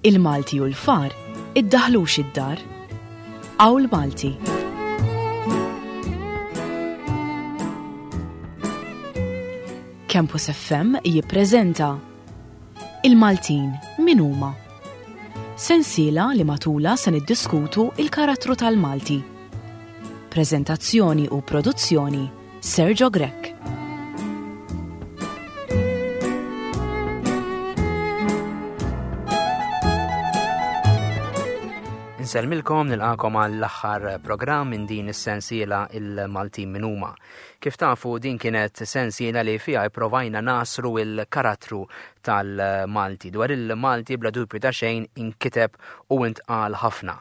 Il-Malti u l-far iddaħlux id-dar. Awl Malti. Campus FM jippreżenta Il-Maltin min huma? Sensiela li matula se niddiskutu il-karattru tal-Malti. Preżentazzjoni u produzzjoni Sergio Grech. Insellmilkom nilqakom għall-aħħar programm minn din is-sensiela il-Maltin min huma. Kif tafu din kienet sensiela li fiha ipprovajna nasru il-karattru tal-Malti. Dwar il-Malti bla dubju ta' xejn inkiteb u intqal ħafna.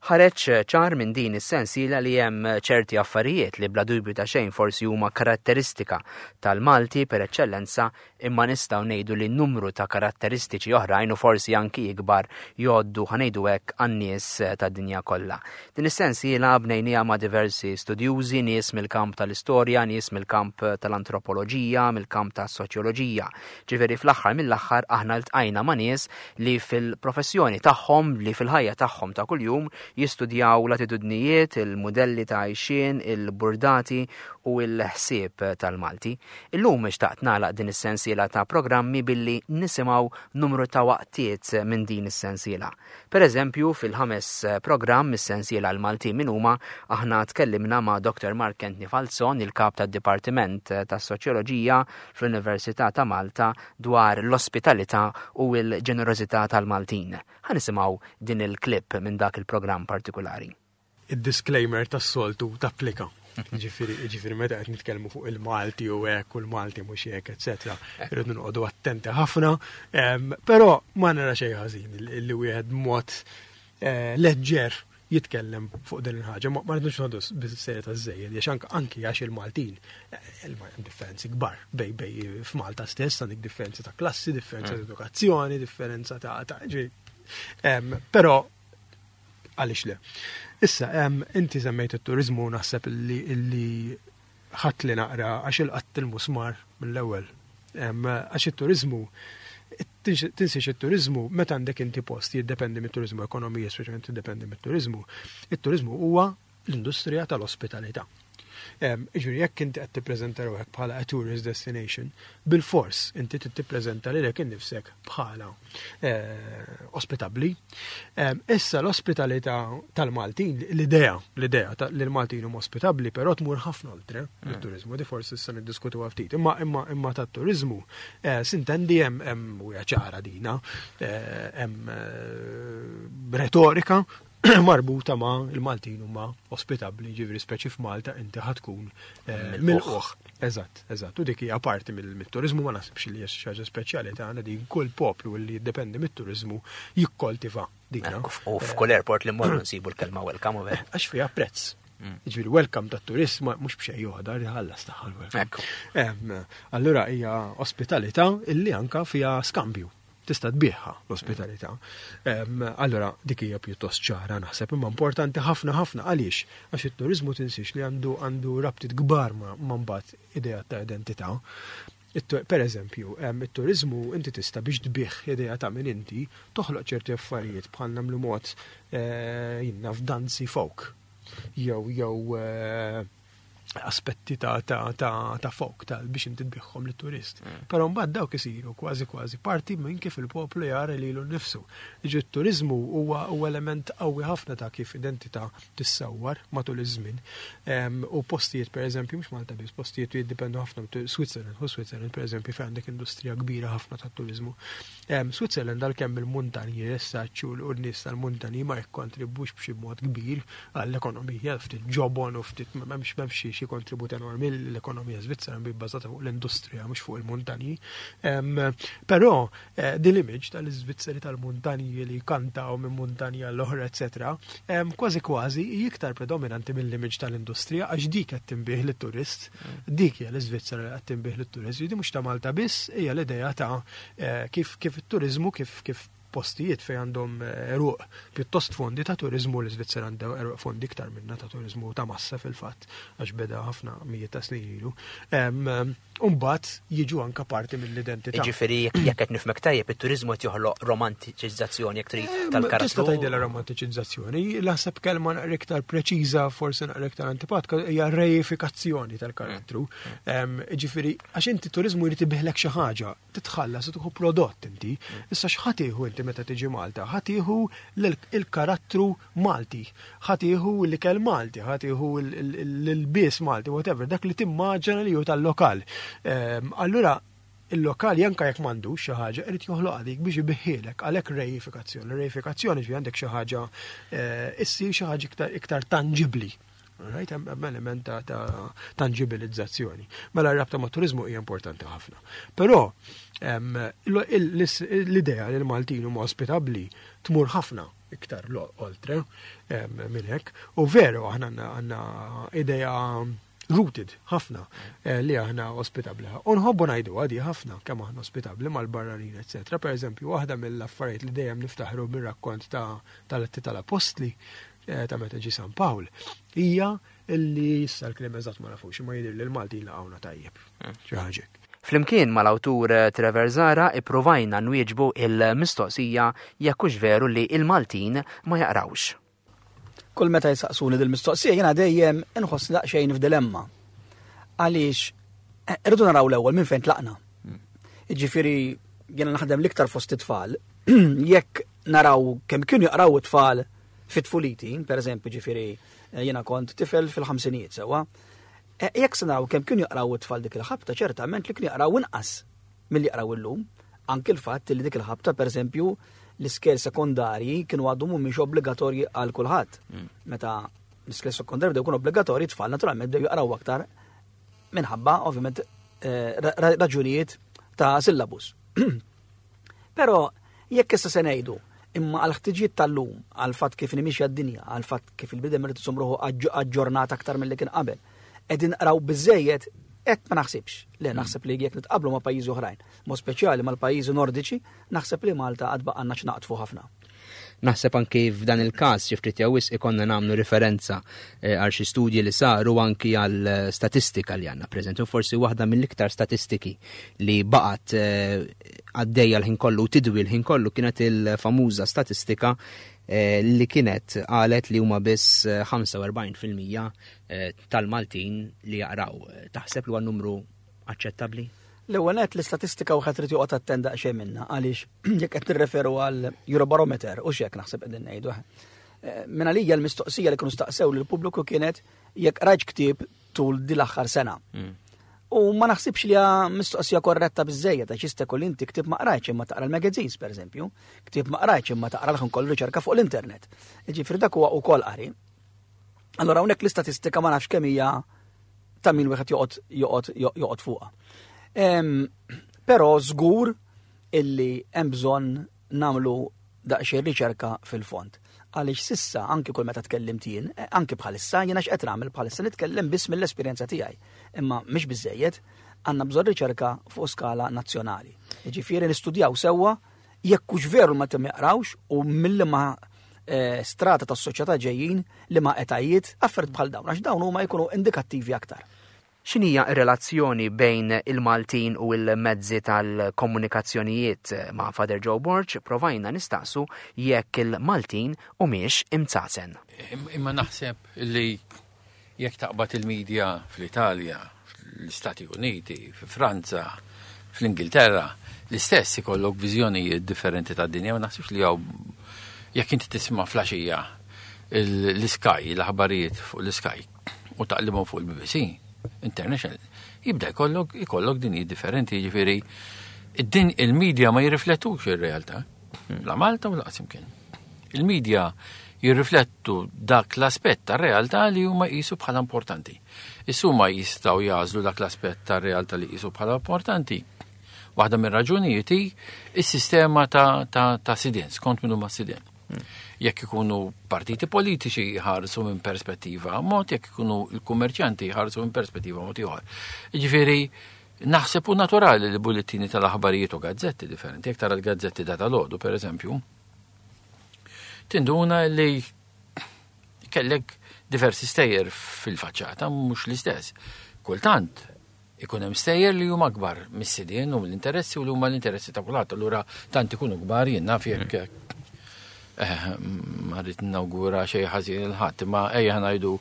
Ħareġ ċar minn din is-sensiela li hemm ċerti affarijiet li bla dubju ta' xejn forsi huma karatteristika tal-Malti per eċċellenza imma nistgħu ngħidu li numru ta' karatteristiċi oħrajn u forsi anki ikbar jgħoddu ħa ngħidu hekk għan-nies tad-dinja kollha. Din is-sensiela bnejniha ma' diversi studjużi, nies mill-kamp tal-istorja, nies mill-kamp tal-antropoloġija, mill-kamp tas-soċjoloġija. Ġifieri fl-aħħar mill-aħħar aħna ltqajna ma' nies li fil-professjoni tagħhom, li fil-ħajja tagħhom ta' kuljum jistudjaw l-attitudnijiet, il-mudelli ta' għajxien, il-burdati u l-ħsieb tal-Malti. Illum xtaqt nagħlaq din is-sensiela ta' programmi billi nisimgħu numru ta' waqtiet minn din is-sensiela. Per eżempju, fil-ħames programm mis-sensiela l-Maltin min huma, aħna tkellimna ma' Dr. Mark Anthony Falzon, il-kap tad-Dipartiment tas-Soċjoloġija fl-Università ta' Malta dwar l-ospitalità u l-ġenerożità tal-Maltin. Ħa nisimgħu din il-clip minn dak il-programm partikulari. Id-disclaimer tas-soltu tapplika. Ġifieri, ġifieri meta qed nitkellmu fuq il-Malti u hekk u l-Malti mhux hekk, eċetera, irridu noqogħdu attenti ħafna. Però ma nara xejn ħażin li wieħed mod eh, leġġer jitkellem fuq din il-ħaġa. Ma rridux noqogħdu bis-serjetà żejjed, għax anki għax il-Maltin eh, hemm differenzi kbar bej bej f'Malta stess għandek differenzi ta' klassi, differenza ta' mm. edukazzjoni, differenza ta' Però Għaliex le? Issa, inti semmejt it-turiżmu naħseb li ħadd li naqra għax il-qatt il-musmar mill-ewwel. Għax it-turiżmu tinsiex it-turiżmu meta għandek inti post jiddependi mit-turiżmu, ekonomija speċjalment tiddependi mit-turiżmu. It-turiżmu huwa l-industrija tal-ospitalità. Jiġifieri jekk inti qed tippreżenta ruħek bħala a tourist destination, bilfors inti trid tippreżenta lilek innifsek bħala eh, ospitabbli. Issa l-ospitalità tal-Maltin, l-idea, l-idea li l-Maltin huma ospitabbli, però tmur ħafna oltre mm. mit-turiżmu, di forsi issa niddiskutuha ftit. Imma imma imma tat-turiżmu eh, sintendi hemm hemm u ċara dina, eh, hemm retorika marbuta ma' il-Maltin huma ospitabbli, ġifieri speċi f'Malta inti ħatkun eh, milquħ. Eżatt, eżatt. U dik hija parti mill-turiżmu ma nasibx li hija xi ħaġa speċjali tagħna din kull poplu li jiddependi mit-turiżmu jikkoltiva din. U f'kull airport li mmorru nsibu l-kelma welcome u Għax fiha prezz. Mm. Ġifieri welcome tat-turist mhux b'xejn joħodha li ħallas tagħha l-welcome. Allura hija ospitalità illi anka fiha skambju. Tista' tbigħha l-ospitalità. Allura dik hija pjuttost ċara naħseb, imma importanti ħafna ħafna għaliex? Għax it-turiżmu tinsiex li għandu għandu rabtiet kbar ma' mbagħad idea ta' identità. Per eżempju, it-turiżmu inti tista' biex tbigħ idea ta' min inti, toħloq ċerti affarijiet bħal nagħmlu mod eh, jien naf danzi folk jew jew eh, aspetti ta' ta' ta' ta' folk ta' biex inti tbiħħom lit-turist. Mm. Però mbagħad dawk isiru kważi kważi parti minn kif il-poplu jara lilu nnifsu. Ġi t-turiżmu huwa element qawwi ħafna ta' kif identità tissawwar matul iż-żmien. U postijiet pereżempju mhux Malta biss, postijiet li jiddipendu ħafna Switzerland, u Switzerland pereżempju fejn għandek industrija kbira ħafna tat-turiżmu. Switzerland għalkemm il-muntanji essaċ u n-nies tal-muntanji ma jikkontribwux b'xi mod kbir għall-ekonomija, ftit ġobon u ftit m'hemmx m'hemmx xi kontribut enormi l-ekonomija Svizzera bi bbażata fuq l-industrija mhux fuq il-muntanji. Però eh, din l-image tal-Iżvizzeri tal-muntanji li jkantaw minn muntanja l-oħra, eċetera, kważi kważi iktar predominanti mill-image tal-industrija għax dik qed tinbih lit-turist, mm. dik hija l-Iżvizzera li qed tinbih lit-turist, di mhux ta' Malta biss, hija l-idea ta' Eh, kif kif it-turizmu kif kif postijiet fejn għandhom għeruq pjuttost fondi ta' turiżmu, l-Iżvizzera għandha għeruq fondi iktar minna ta' turiżmu ta' massa fil-fatt, għax beda ħafna mijiet ta' snin ilu. U mbagħad jiġu anka parti mill-identità. Jiġifieri jekk qed nifhmek tajjeb, it-turiżmu qed joħloq romantiċizzazzjoni jekk trid tal-karattru. Tista' tgħidilha romantiċizzazzjoni, naħseb kelma naqra iktar preċiża, forsi naqra iktar antipatka, hija reifikazzjoni tal-karattru. Jiġifieri għax inti turiżmu jrid ibiħlek xi ħaġa, titħallas u tieħu prodott inti. Issa x'ħa tieħu inti meta tiġi Malta? Ħa tieħu l-karattru Malti, ħa tieħu l-ikel Malti, ħa tieħu l-ilbies Malti, whatever, dak li timmaġina li hu tal-lokal. Ehm, allura il-lokal janka jekk m'għandux xi ħaġa irid joħloqha dik biex ibiħħielek għalhekk reifikazzjoni. Reifikazzjoni ġi għandek xi ħaġa eh, issir xi ħaġa iktar tangibbli. Right, hemm element ta' tangibilizzazzjoni. Mela r-rabta ma' turizmu hija importanti ħafna. Però l-idea li l-Maltin huma ospitabbli tmur ħafna iktar oltre minn hekk. U veru aħna għandna idea rooted ħafna eh, li aħna ospitabbli. U nħobbu ngħidu għadi ħafna kemm aħna ospitabbli mal-barranin, eċetera. Per eżempju, waħda mill-affarijiet li dejjem niftaħru bir-rakkont ta' tal-Atti tal-Apostli eh, ta' meta ġie San Pawl, hija illi issa l-kliem eżatt ma nafux, imma jidher li l-Maltin laqgħuna tajjeb. Hmm. Xi ħaġa Flimkien mal-awtur eh, Trevor Zara ippruvajna nwieġbu il-mistoqsija jekk hux veru li il-Maltin ma jaqrawx. Kull meta jsaqsuni dil-mistoqsija jiena dejjem inħoss daqsxejn f'dilemma. Għaliex eh, irridu naraw l-ewwel minn fejn tlaqna. Hmm. Jiġifieri jiena naħdem l-iktar fost it-tfal, jekk naraw kemm kienu jaqraw it-tfal fit-tfuliti, per eżempju, ġifiri, eh, jena kont tifel fil-ħamsinijiet sewa, eh, jekk se naraw kemm kienu jaqraw it-tfal dik il-ħabta, ċertament li kienu jaqraw inqas milli jaqraw illum. Anki l-fatt li dik il-ħabta, per eżempju, l-iskel sekondarji kienu għadu mhumiex obbligatorji għal kulħadd. Mm. Meta l-iskel sekondarji bdew jkunu obbligatorji, tfal naturalment bdew jaqraw aktar minħabba ovvjament eh, raġunijiet ta' syllabus. Però jekk issa se ngħidu imma għal ħtiġijiet tal-lum, għal fatt kif nimixja d-dinja, għal fatt kif il-bidem irid isum ruħu aġġornat aktar milli kien qabel, qegħdin nqraw biżejjed hekk ma naħsibx. Le mm. naħseb li jekk nitqablu ma' pajjiżi oħrajn, mod speċjali mal-pajjiżi nordiċi, naħseb li Malta għad baqgħanna x'naqtfu ħafna. Naħseb anki f'dan il-każ xi ftit jew wisq ikollna nagħmlu riferenza eh, għal xi studji li saru anki għal eh, statistika li għandna preżenti u forsi waħda mill-iktar statistiki li baqgħet eh, għaddejja l-ħin kollu u tidwi l-ħin kollu kienet il-famuża statistika li kienet qalet li huma biss 45% tal-Maltin li jaqraw. Taħseb li huwa numru aċċettabbli? L-ewwel nett l-istatistika wieħed irid joqgħod attent daqsxejn minnha għaliex jekk qed nirreferu għal Eurobarometer u x'hekk naħseb qegħdin ngħidu. Eh, minn għalija l-mistoqsija li kienu staqsew lill-pubbliku kienet jekk rajt ktieb tul din l-aħħar sena. Mm. U ma naħsibx li hija mistoqsija korretta biżejjed għax jista' jkun inti ktieb ma qrajtx imma taqra l-magazines pereżempju, ktieb ma qrajtx imma taqra l-ħin kollu riċerka fuq l-internet. Jiġifieri dak huwa wkoll qari. Allora hawnhekk l-istatistika ma nafx kemm hija ta' min wieħed joqgħod joqgħod joqgħod fuqha. Però żgur illi hemm bżonn nagħmlu daqsxejn riċerka fil-fond. Għaliex sissa anki kull meta tkellimt jien, eh, anki bħalissa jiena x'qed nagħmel bħalissa nitkellem biss mill-esperjenza tiegħi. Imma mhix biżejjed, għandna bżonn riċerka fuq skala nazzjonali. Jiġifieri nistudjaw sewwa Jekk hux veru ma jaqrawx u milli ma eh, strata tas-soċjetà ġejjin li ma etajiet affarijiet bħal dawn għax dawn huma jkunu indikattivi aktar. X'inhija r-relazzjoni bejn il-Maltin u l-mezzi tal-komunikazzjonijiet? Ma' Father Joe Borg provajna nistaqsu jekk il-Maltin humiex imtsasen. Imma naħseb li Jekk taqbad il-media fl-Italja, fl-Istati Uniti, fi Franza, fl-Ingilterra, l-istess ikollok viżjonijiet differenti tad-dinja, ma naħsibx li hawn jekk inti tisma' flaxija l-Sky, l-aħbarijiet fuq l-Sky u taqlibhom fuq il-BBC International, jibda jkollok ikollok dinji differenti, jiġifieri id-din il-media ma jirriflettux ir-realtà. La Malta u laqas imkien. Il-media jirriflettu dak l-aspett tar-realtà li huma jqisu bħala importanti. Issa huma jistgħu jagħżlu dak l-aspett tar-realtà li jqisu bħala importanti. Waħda mir-raġunijiet hi s-sistema ta', ta, ta sidien, skont min huma sidien. Hmm. Jekk ikunu partiti politiċi jħarsu minn perspettiva mod, jekk ikunu l-kummerċjanti jħarsu minn perspettiva mod ieħor. Jiġifieri Naħseb hu naturali li bullettini tal-aħbarijiet u gazzetti differenti, jekk tara l-gazzetti ta' tal-għodu, per eżempju, tinduna li kellek diversi stejjer fil-faċċata, mhux l-istess. Kultant, ikun hemm stejjer li huma akbar mis-sidien u mill-interessi u li huma l-interessi ta' kulħadd. Allura tant ikunu kbar jien naf jekk eh, ma rrid nawgura xejn ħażin il-ħadd, imma ejja ngħidu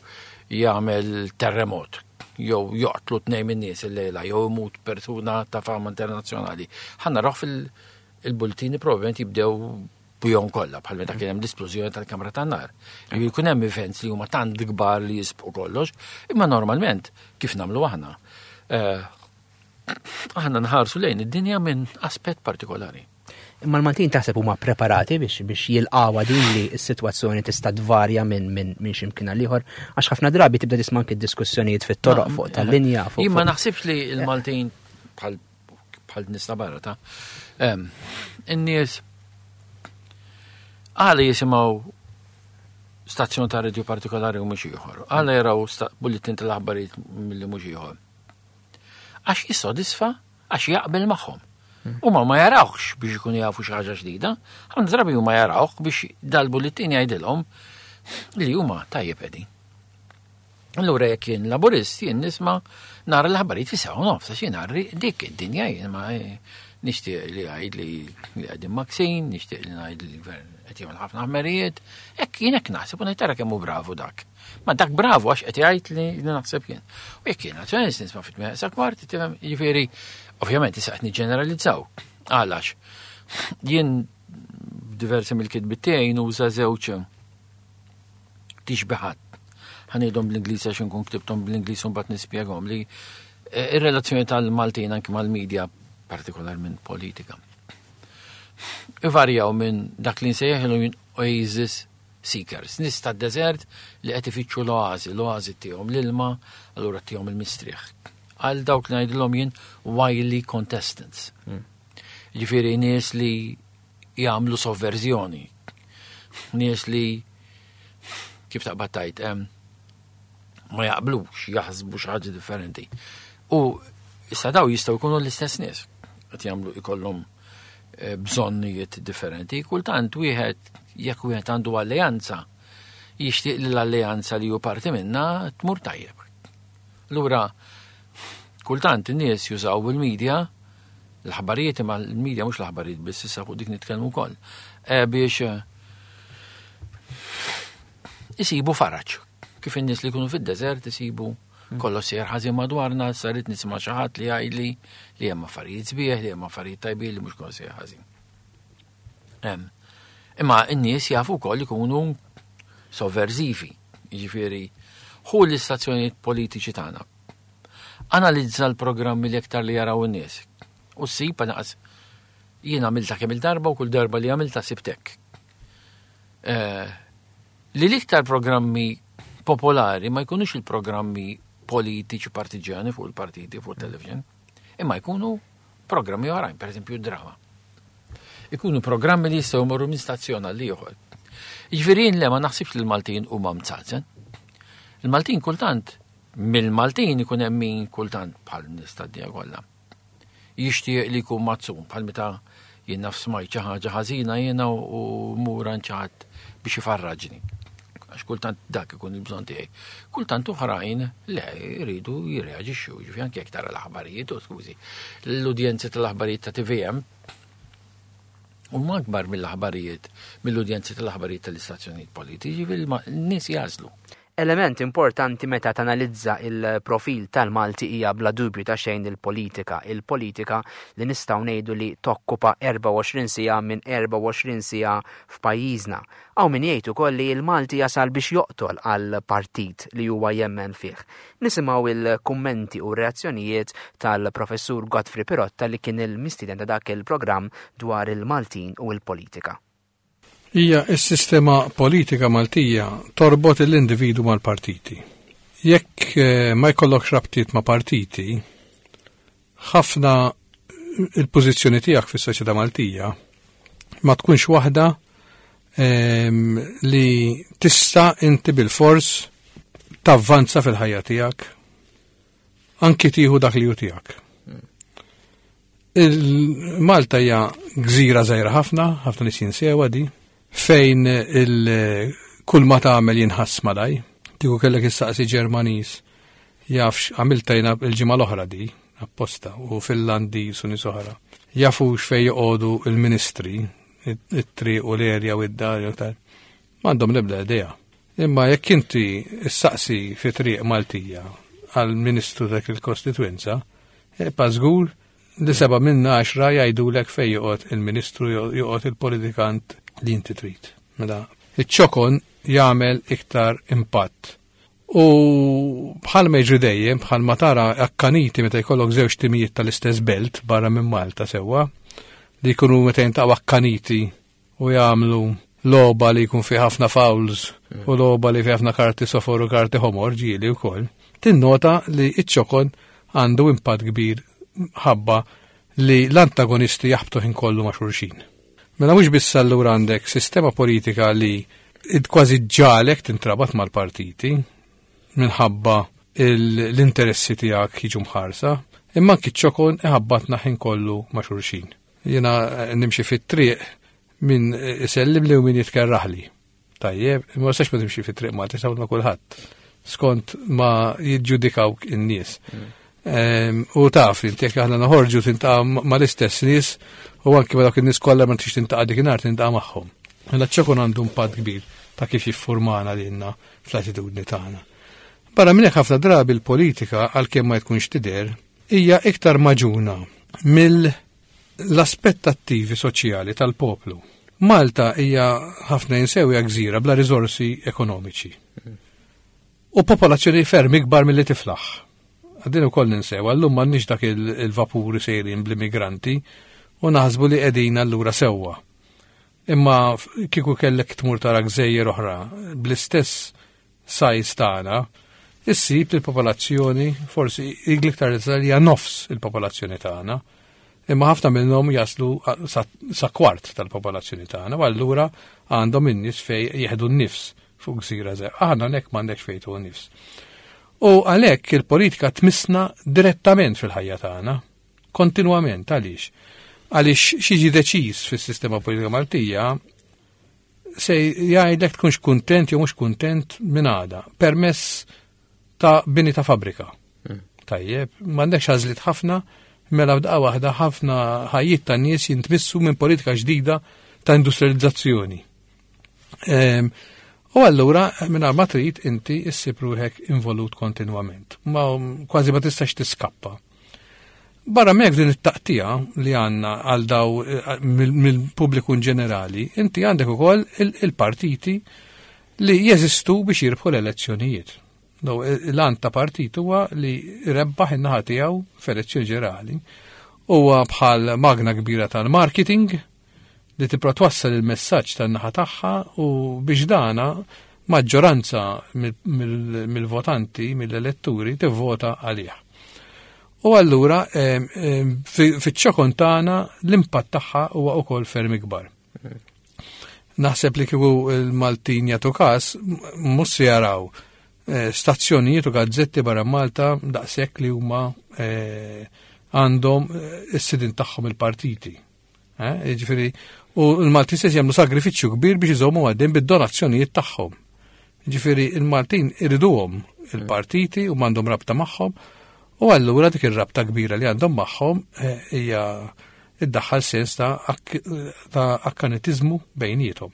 jagħmel terremot jew joqtlu tnejn min-nies illejla jew imut persuna ta' fama internazzjonali. Ħa naraw fil-bultini probabbilment jibdew bihom kollha bħal meta kien hemm l-isplużjoni tal-kamra tan-nar. Jkun hemm events li huma tant kbar li jisbqu kollox, imma normalment kif nagħmlu aħna. Eh, aħna nħarsu lejn id-dinja minn aspett partikolari. Imma l-Maltin taħseb huma preparati biex biex jilqawha din li s-sitwazzjoni tista' tvarja minn min, min x'imkien għal ieħor għax ħafna drabi tibda tisma' anke diskussjonijiet fit-toroq fuq tal-linja fuq. Jien ma naħsibx li l-Maltin bħal bħal nies ta' barra ta' in-nies għala jisimgħu stazzjon ta' radio partikolari u mhux ieħor. Għala jaraw bulletin tal-aħbarijiet milli mhux ieħor. Għax jissodisfa, għax jaqbel magħhom. Hmm. Huma ma jarawx biex ikunu jafu xi ħaġa ġdida, ħafna drabi huma jarawh biex dal-bulletin jgħidilhom li huma tajjeb qegħdin. Allura jekk jien laburist jien nisma' nara l-aħbarijiet fi sew nofs għax jien arri dik id-dinja jien ma nixtieq li jgħid li qegħdin maksin, nixtieq li ngħid li l-gvern qed jagħmel ħafna ħmerijiet, hekk jien hekk naħseb u ngħid tara kemm hu bravu dak. Ma dak bravu għax qed jgħid li naħseb jien. U jekk jien nazzjonalist nisma' fit sa kwart, tifhem, jiġifieri ovvjament issa qed niġġeneralizzaw. Għalax jien diversi mill-kitbiet tiegħi nuża żewġ tixbihat. Ħanejdhom bl-Ingliż għax inkun ktibthom bl-Ingliż u mbagħad nispjegahom li eh, ir-relazzjoni tal-Maltin anki mal-medja partikolarment politika. Ivarjaw minn dak li nsejjaħlu jien oasis seekers, nies tad-deżert li qed ifittxu l-oażi, l-oażi tihom l-ilma, allura tihom il-mistrieħ. Għal dawk li ngħidilhom jien wily contestants. Hmm. Ġifieri nies li jagħmlu sovverżjoni. Nies li kif taqbad tajt ma jaqblux, jaħsbu xi ħaġa differenti. U issa daw jistgħu jkunu l-istess nies qed jagħmlu ikollhom eh, bżonnijiet differenti. Kultant wieħed jekk wieħed għandu alleanza jixtieq li l-alleanza li hu parti minna tmur tajjeb. Lura kultant in-nies jużaw il-medja l-aħbarijiet imma l-medja mhux l-aħbarijiet biss issa fuq dik nitkellmu wkoll eh, biex eh, isibu faraġ. Kif in-nies li jkunu fid-deżert isibu hmm. kollox sejjer ħażin madwarna, sarit nisma' xi ħadd li jgħidli li hemm affarijiet sbieħ, li hemm affarijiet tajbin li mhux kollox sejjer ħażin. Imma n-nies jafu wkoll ikunu sovverzivi, jiġifieri hu l-istazzjonijiet politiċi tagħna Analizza l-programmi l-iktar li jaraw in-nies. U ssib anqas jien għamilta kemm il-darba u kull darba li għamilta sibt hekk. Eh, li l-iktar programmi popolari ma jkunux il-programmi politiċi partiġjani fuq il-partiti fuq il-television, imma jkunu programmi oħrajn, per eżempju drama. Ikunu programmi li jistgħu jmorru minn stazzjon għal ieħor. Jiġifieri le ma naħsibx li l-Maltin huma mzazen. Il-Maltin kultant Mill-Maltin ikun hemm min kultant bħal nies tad-dinja kollha. Jixtieq li jkun mazzun bħal meta jien naf smajt xi ħaġa ħażina jiena u mur għand xi ħadd biex ifarraġni. Għax kultant dak ikun il-bżonn tiegħi. Kultant oħrajn le jridu jirreaġixxu, ġifi anke jekk tara l-aħbarijiet, u skużi, l-udjenzi tal-aħbarijiet ta' TVM huma akbar mill-aħbarijiet, mill-udjenzi tal-aħbarijiet tal-istazzjonijiet politiċi, fil-nies jażlu. Element importanti meta tanalizza il-profil tal-Malti hija bla dubju ta' xejn il-politika. Il-politika li nistgħu ngħidu li tokkupa 24 siegħa minn 24 siegħa f'pajjiżna. Hawn min jgħid ukoll li l-Malti jasal biex joqtol għal partit li huwa jemmen fih. Nisimgħu il-kummenti u reazzjonijiet tal-Professur Godfrey Pirotta li kien il-mistieden ta' dak il-programm dwar il-Maltin u l-politika. Hija s-sistema politika Maltija torbot l-individu mal-partiti. Jekk eh, ma jkollokx rabtiet ma' partiti, ħafna il-pożizzjoni tiegħek fis-soċjetà Maltija ma tkunx waħda ehm, li tista' inti bil-fors tavvanza fil-ħajja tiegħek anki tieħu dak li hu tiegħek. Il-Malta hija gżira żgħira ħafna, ħafna nies jinsewha di, fejn il kull ma tagħmel jinħass malaj. Kieku kellek issaqsi Ġermaniż jafx għamilta jiena il-ġimgħa l-oħra di, apposta, u Finlandiż u nies oħra. Jafux fejn joqogħdu il-ministri, it-triq u l-erja u id-dar jew tal. M'għandhom l-ebda idea. Imma jekk inti issaqsi fi triq Maltija għal ministru dak il-kostitwenza, pa żgur li 7 minn 10 jgħidulek fejn joqgħod il-ministru, joqgħod il-politikant li inti trid. Mela, iċ-ċokon jagħmel iktar impatt. U bħal ma jiġri dejjem, bħal ma tara akkaniti meta jkollok żewġ timijiet tal-istess belt barra minn Malta sewwa, li jkunu meta jintaqgħu akkaniti u jagħmlu logħba li jkun fi ħafna fouls u logħba li fi ħafna karti sofor u karti ħomor ġieli wkoll, tinnota li iċ-ċokon għandu impatt kbir ħabba li l-antagonisti jaħbtu ħin kollu ma' xulxin. Mela mhux biss allura għandek sistema politika li kważi ġalek tintrabat mal-partiti minħabba l-interessi tiegħek jiġu mħarsa, imma anki ċ-ċokon iħabbatna ħin kollu ma' xulxin. Jiena nimxi fit-triq min isellimli u min jitkerraħli. Tajjeb, imma ma ma timxi fit-triq Malta, tista' ma' kulħadd. Skont ma jiġġudikawk in-nies. U taf, inti jekk aħna noħorġu tintaqa' mal-istess nies u anki ma dawk in-nies kollha ma tix tintaqa' dikinhar tintaqa' magħhom. Mela ċ-ċokon għandu impatt kbir ta' kif jiffurmana lilna fl-attitudni tagħna. Barra minn hekk ħafna drabi l-politika għalkemm ma tkunx tidher hija iktar maġuna mill-aspettattivi soċjali tal-poplu. Malta hija ħafna jinsew hija gżira bla riżorsi ekonomiċi. U popolazzjoni ferm ikbar milli tiflaħ. Għaddin ukoll ninsew, għallum m'għandniex dak il-vapuri sejrin bl-immigranti u naħsbu li qegħdin allura sewwa. Imma kieku kellek tmur tara gżejjer oħra bl-istess size tagħna, issib li l-popolazzjoni forsi l-iktar li hija nofs il-popolazzjoni tagħna. Imma ħafna minnhom jaslu sa kwart tal-popolazzjoni tagħna, u allura għandhom in-nies fej jieħdu n-nifs fuq gżira żgħira. Aħna hekk m'għandekx fejn tieħu nifs. U għalhekk il-politika tmissna direttament fil-ħajja tagħna, kontinwament. Għaliex? Għaliex xi deċiż fis-sistema politika Maltija se jgħidlek tkunx kuntent jew mhux kuntent minn għada, permess ta' bini ta' fabbrika. Tajjeb, m'għandekx għażliet ħafna, mela f'daqqa waħda ħafna ħajjiet ta' nies jintmissu minn politika ġdida ta' industrializzazzjoni. U allura mingħajr ma trid inti issib ruħek involut kontinwament. Ma kważi ma tistax tiskappa. Barra minn hekk din it-taqtija li għandna għal daw mill-pubbliku in ġenerali, inti għandek ukoll il-partiti li jeżistu biex jirbħu l-elezzjonijiet. Daw, l-għan ta' partit huwa li rebbaħ in-naħa tiegħu f'elezzjoni ġenerali. Huwa bħal magna kbira tal-marketing li tipra twassal il-messaġġ tan-naħa tagħha u biex dana maġġoranza mill-votanti, mill-eletturi, tivvota għalih. U allura fiċ-ċokon tagħna l-impatt tagħha huwa wkoll ferm ikbar. Naħseb li kieku l-Maltin jagħtu każ mhux se jaraw stazzjonijiet u gazzetti barra Malta daqshekk li huma għandhom is-sidin tagħhom il-partiti. Jiġifieri, u l-Maltin stess jagħmlu sagrifiċċju kbir biex iżommu għaddejn bid-donazzjonijiet tagħhom. Jiġifieri, il-Maltin iriduhom il-partiti u m'għandhom rabta magħhom, u allura dik ir-rabta kbira li għandhom magħhom hija iddaħħal sens ta' akkanitiżmu bejniethom.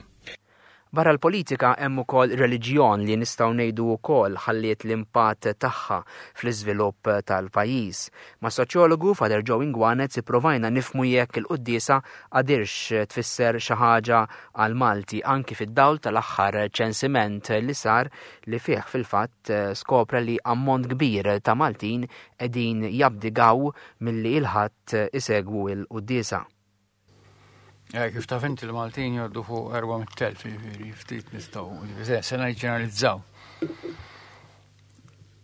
Barra l-politika hemm ukoll reliġjon li nistgħu ngħidu wkoll ħalliet l-impatt tagħha fl-iżvilupp tal-pajjiż. Ma' soċjologu Father Joe Inguanez ipprovajna nifhmu jekk il-quddiesa għadirx tfisser xi ħaġa għal Malti anki fid-dawl tal-aħħar ċensiment li sar li fih fil-fatt skopra li ammont kbir ta' Maltin qegħdin jabdigaw milli il-ħadd isegwu l-quddiesa. Kif taf inti l-Maltin jgħoddu fuq 400,000, jiġifieri ftit nistgħu, jiġifieri se ġeneralizzaw.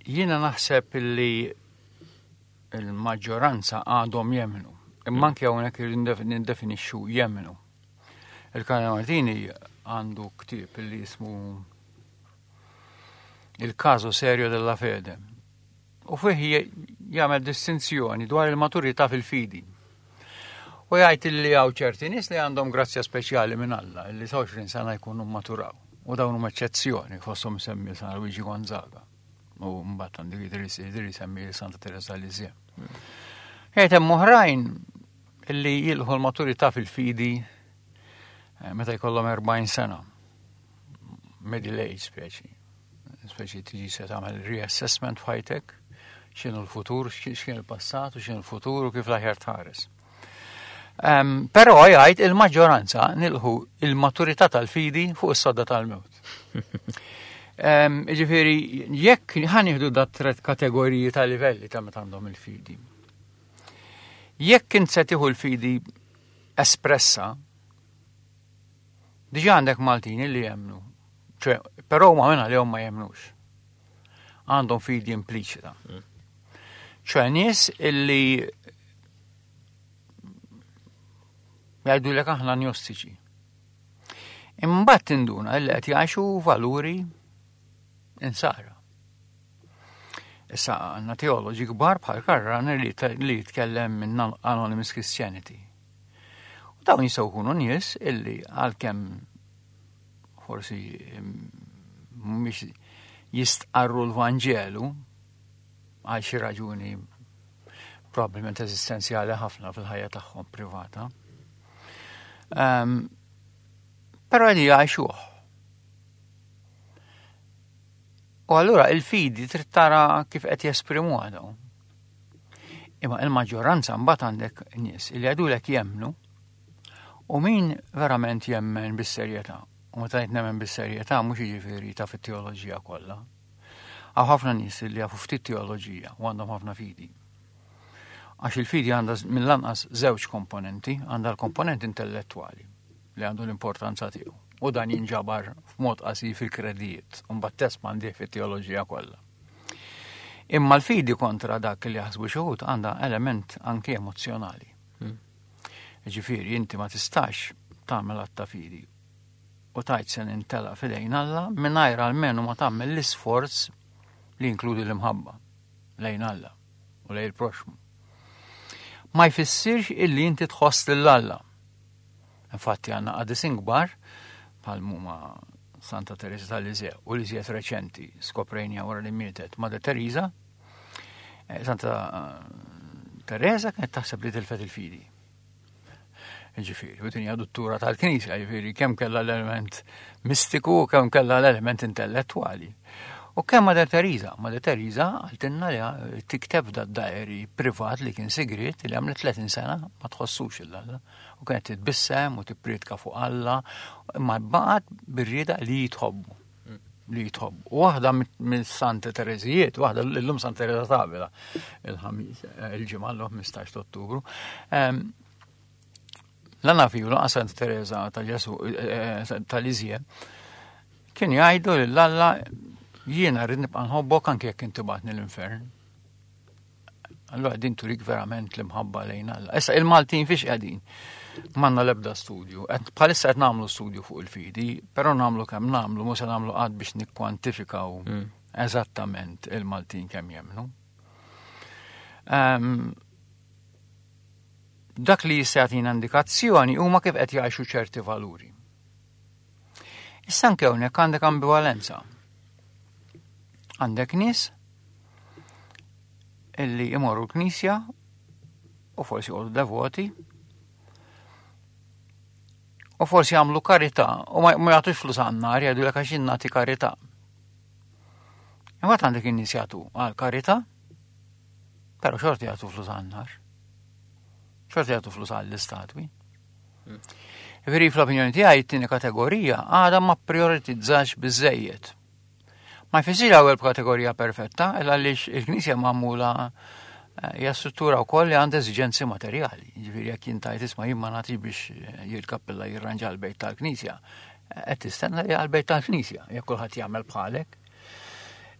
Jiena naħseb illi il-maġġoranza għadhom jemmnu. Imma anke hawnhekk nindefinixxu jemmnu. Il-Kardinal Martini għandu ktieb illi jismu Il caso serio della fede. U fih jagħmel distinzjoni dwar il-maturità fil-fidi. U jgħid li hawn ċerti nies li għandhom grazzja speċjali minn Alla, li sa 20 sena jkunu maturaw. U dawn huma eċċezzjoni fosthom semmi San Luigi Gonzaga. U mbagħad għandu jidher semmi Santa Teresa Lisieux. Jgħid hemm oħrajn illi jilħu l-maturità fil-fidi eh, meta jkollhom 40 sena. Middle age speċi. Speċi tiġi se tagħmel reassessment f'ħajtek, x'inhu l-futur, x'kien il-passat u x'inhu l-futur u kif l-aħjar tħares. Um, Però jgħid il-maġġoranza nilħu il-maturità tal-fidi fuq is-sodda tal-mewt. Um, Ġifieri, jekk ħanieħdu dat tret kategoriji ta' livelli ta' meta għandhom il-fidi. Jekk int se tieħu l-fidi espressa, diġà għandek Maltin li jemnu, ċe, però huma minn għalihom ma jemnux. Għandhom fidi impliċita. ċe nies illi jgħidu lek aħna agnostiċi. Imbagħad tinduna illi qed jgħixu valuri insara. Issa għandna teoloġi kbar bħal Karran li jitkellem minn Anonymous Christianity. U dawn jistgħu jkunu nies illi għalkemm forsi mhumiex jistqarru l-Vanġelu għal xi raġuni probabbilment eżistenzjali ħafna fil-ħajja tagħhom privata. Um, però li jgħixuh. U allura il-fidi trid tara kif qed jesprimuha dawn. Imma il-maġġoranza mbagħad għandek nies li jgħidulek jemmnu u min verament jemmen bis-serjetà. U meta ngħid nemmen bis-serjetà mhux jiġifieri ta' fit-teoloġija kollha. Hawn ħafna nies li jafu ftit teoloġija u għandhom ħafna fidi. Għax il-fidi għandha mill-anqas żewġ komponenti, għandha l-komponent intellettwali li għandu l-importanza tiegħu. U dan jinġabar f'mod qasir fil-kredijiet, u mbagħad tespandih fit-teoloġija kollha. Imma l-fidi kontra dak li jaħsbu xi wħud għandha element anki emozzjonali. Hmm. Ġifieri inti ma tistax tagħmel att ta' fidi u tajt se nintela fidejn Alla mingħajr almenu ma tagħmel l-isforz li jinkludi l-imħabba lejn Alla u lejn il-proxmu. Ma jfissirx illi inti tħoss lil Alla. Infatti għandna qadisin kbar bħal huma Santa Teresa tal-Lisieux u li żjed reċenti skoprejnija wara li mietet Mother Teresa. Eh, Santa eh, Teresa kienet taħseb li tilfet il-fidi. Ġifieri, u tinja duttura tal-Knisja, ġifieri, kemm kellha l-element mistiku u kemm kellha l-element intellettwali. U kemm Mother Teresa, Mother Teresa għaltinna li tikteb da diary privat li kien sigriet li għamlet 30 sena ma tħossux il-Alla. U kienet titbissem u tippriedka fuq Alla, imma baqgħet bir-rieda li jitħobbu. Li jitħobbu. U waħda minn Santa Terezijiet, waħda l-lum Santa Teresa Tavila, il-ħamis, eh, il-ġimgħa l-15 Ottubru. Ehm, la nafi u lanqas Santa Teresa ta' Ġesu eh, eh, tal-Iżje, kien jgħidu lil Alla jiena rrid nibqa' nħobbok anke jekk inti bagħatni l-infern. Allora din turik verament l-imħabba lejn Alla. Issa il-Maltin fiex qegħdin? Manna l-ebda studju. Bħalissa qed nagħmlu studju fuq il-fidi, però nagħmlu kemm nagħmlu, mhux se nagħmlu qatt biex nikkwantifikaw mm. eżattament il-Maltin kemm jemnu. Um, dak li jista' jagħtina indikazzjoni huma kif qed jgħixu ċerti valuri. Issa anke hawnhekk għandek ambivalenza. Għandek nies illi imorru l-knisja u forsi jqogħdu devoti u forsi jagħmlu karità u ma jagħtux flus għan-nar jgħidu lek għax nagħti karità. Imbagħad għandek in-nies jagħtu għal karità, però xorti jagħtu flus għan-nar. Xorti jagħtu flus għall-istatwi. Veri fl-opinjoni tiegħi t-tieni kategorija għadha ma prioritizzax biżejjed. Ma jfissirx l-ewwel kategorija perfetta, illa għaliex il-Knisja magħmula eh, hija struttura wkoll li għandha eżiġenzi materjali. Ġifieri jekk jintajt isma' jien ma nagħtix biex eh, jil-kappella jirranġa l-bejt tal-Knisja, eh, qed tistenna li għall-bejt tal-Knisja, jekk kulħadd jagħmel bħalek.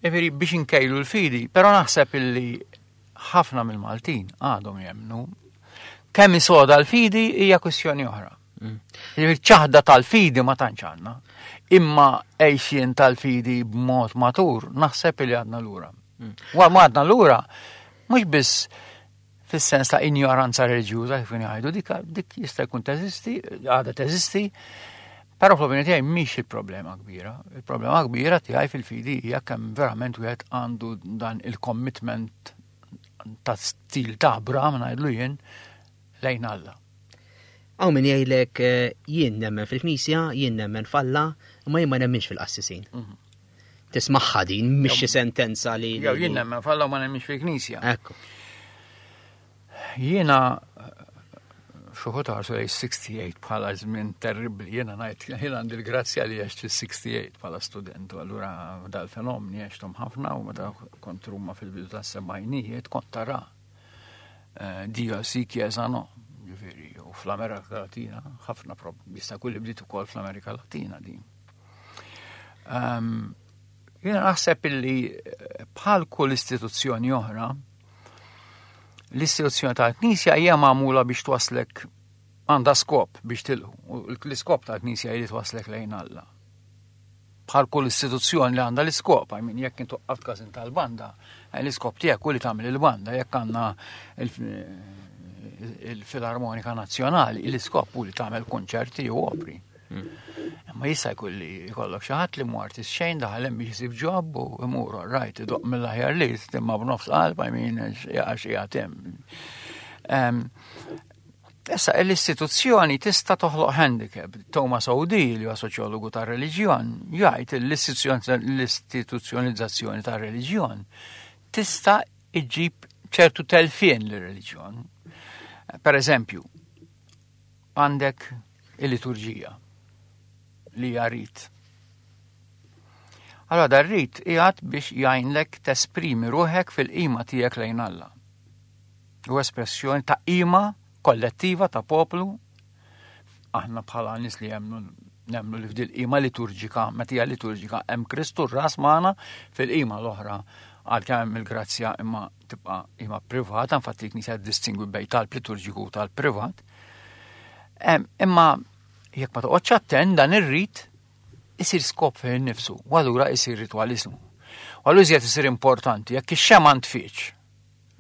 Ġifieri biex inkejlu l-fidi, però naħseb illi ħafna mill-Maltin għadhom jemnu kemm isoda l-fidi hija kwistjoni oħra. Mm. Il-ċaħda tal-fidi ma tantx għandna. Imma għejxien tal-fidi b'mod matur naħseb li għadna lura. Mm. Wa ma għadna lura mhux biss Fis-sens ta' injoranza reliġjuża kif jgħidu dik dik jista' jkun teżisti, għadha teżisti, però fl-opinjoni tiegħi mhix il-problema kbira. Il-problema kbira tiegħi fil-fidi hija kemm verament wieħed għandu dan il-commitment ta' stil ta' Abraham ngħidlu jien lejn Alla. Hawn min jgħidlek eh, jien nemmen fil-Knisja, jien nemmen f'Alla, imma jien ma nemminx fil-qassisin. Mhm. Tismaħħa din mhix xi sentenza li. Jew jien nemmen f'Alla u ma nemminx fil-Knisja. Ekku. Jiena xuħut ħarsu lej 68 bħala żmien terribbli, jiena ngħid jien għandi l-grazzja li għext fis-68 bħala student, u allura dal-fenomeni għextom ħafna u meta kont Ruma fil-bidu tas-sebgħinijiet kont tara eh, Dio si chiesa no, ġifieri, u fl-Amerika Latina ħafna jista' jkun li bdiet ukoll fl-Amerika Latina din. Ehm, jiena naħseb illi eh, bħal kull istituzzjoni oħra, l-istituzzjoni tal-Knisja hija magħmula biex twaslek għandha skop biex tilħu. L-iskop tal-Knisja hi li twaslek lejn Alla. Bħal kull istituzzjoni li għandha l-iskop, I mean, jekk intu qatt każin tal-banda, eh, l-iskop tiegħek u li tagħmel il-banda, jekk għandna il-Filarmonika Nazzjonali, l-iskop u li tagħmel konċerti u opri. Imma jista' jkun li jkollok xi ħadd li mhu artist xejn daħal hemm biex isib ġob u imur rajt idoq mill-aħjar li imma b'nofs qalb I mean għax qiegħed hemm. Issa l-istituzzjoni tista' toħloq handicap. Thomas O'Dea, li huwa soċjologu tar-reliġjon, jgħid l-istituzzjonalizzazzjoni tar-reliġjon tista' iġġib ċertu telfien lir-reliġjon. Per eżempju, għandek il-liturġija li hija rit. Allora dar rit qiegħed biex jgħinlek tesprimi ruħek fil-qima tiegħek lejn Alla. U espressjoni ta' qima kollettiva ta' poplu aħna bħala nies li jemmnu nemmnu li f'dil qima liturġika, meta hija liturġika, hemm Kristu r-ras magħna fil-qima l-oħra għalkemm hemm il-grazzja imma tibqa' qima privata, infatti l-Knisja distingwi bejn talb liturġiku u talb privat. Imma jekk ma toqgħodx attent dan ir-rit isir skop fejn nifsu, u allura isir ritwaliżmu. U allura iżjed isir importanti jekk ix-xema ntfiċ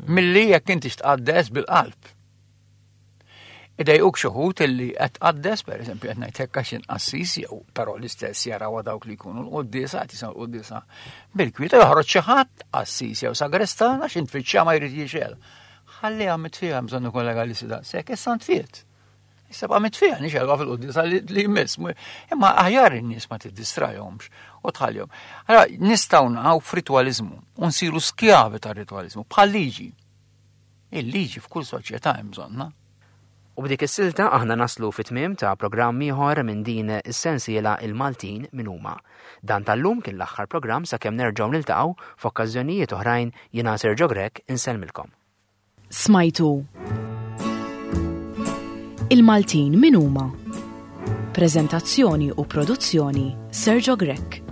milli jekk inti tqaddes bil-qalb. Idejquk xi wħud illi qed tqaddes, pereżempju qed ngħid hekk għax inqassis jew però l-istess jarawha dawk li jkunu l-quddiesa qed jisimgħu l-quddiesa bil-kwieta joħroġ xi ħadd qassis jew sagrestan għax intfittxa ma jrid jixel. Ħalliha mitfija bżonn ikun legalisti daqshekk, issa ntfiet. Issa ba' mitfija nixelwa fil-quddiesa li jmiss. Imma aħjar in-nies ma tiddistrajhomx u tħallihom. Allora nistgħu naqgħu f'ritwaliżmu u nsiru skjavi tar-ritwaliżmu bħal liġi. Il-liġi f'kull soċjetà hemm bżonnha. U b'dik is-silta aħna naslu fit-tmiem ta' programm ieħor minn din is-sensiela Il-Maltin min huma. Dan tal-lum kien l-aħħar programm sakemm nerġgħu niltaqgħu f'okkażjonijiet oħrajn jiena Sergio Grech insellmilkom. Smajtu Il-Maltin min huma? Preżentazzjoni u produzzjoni Sergio Grech.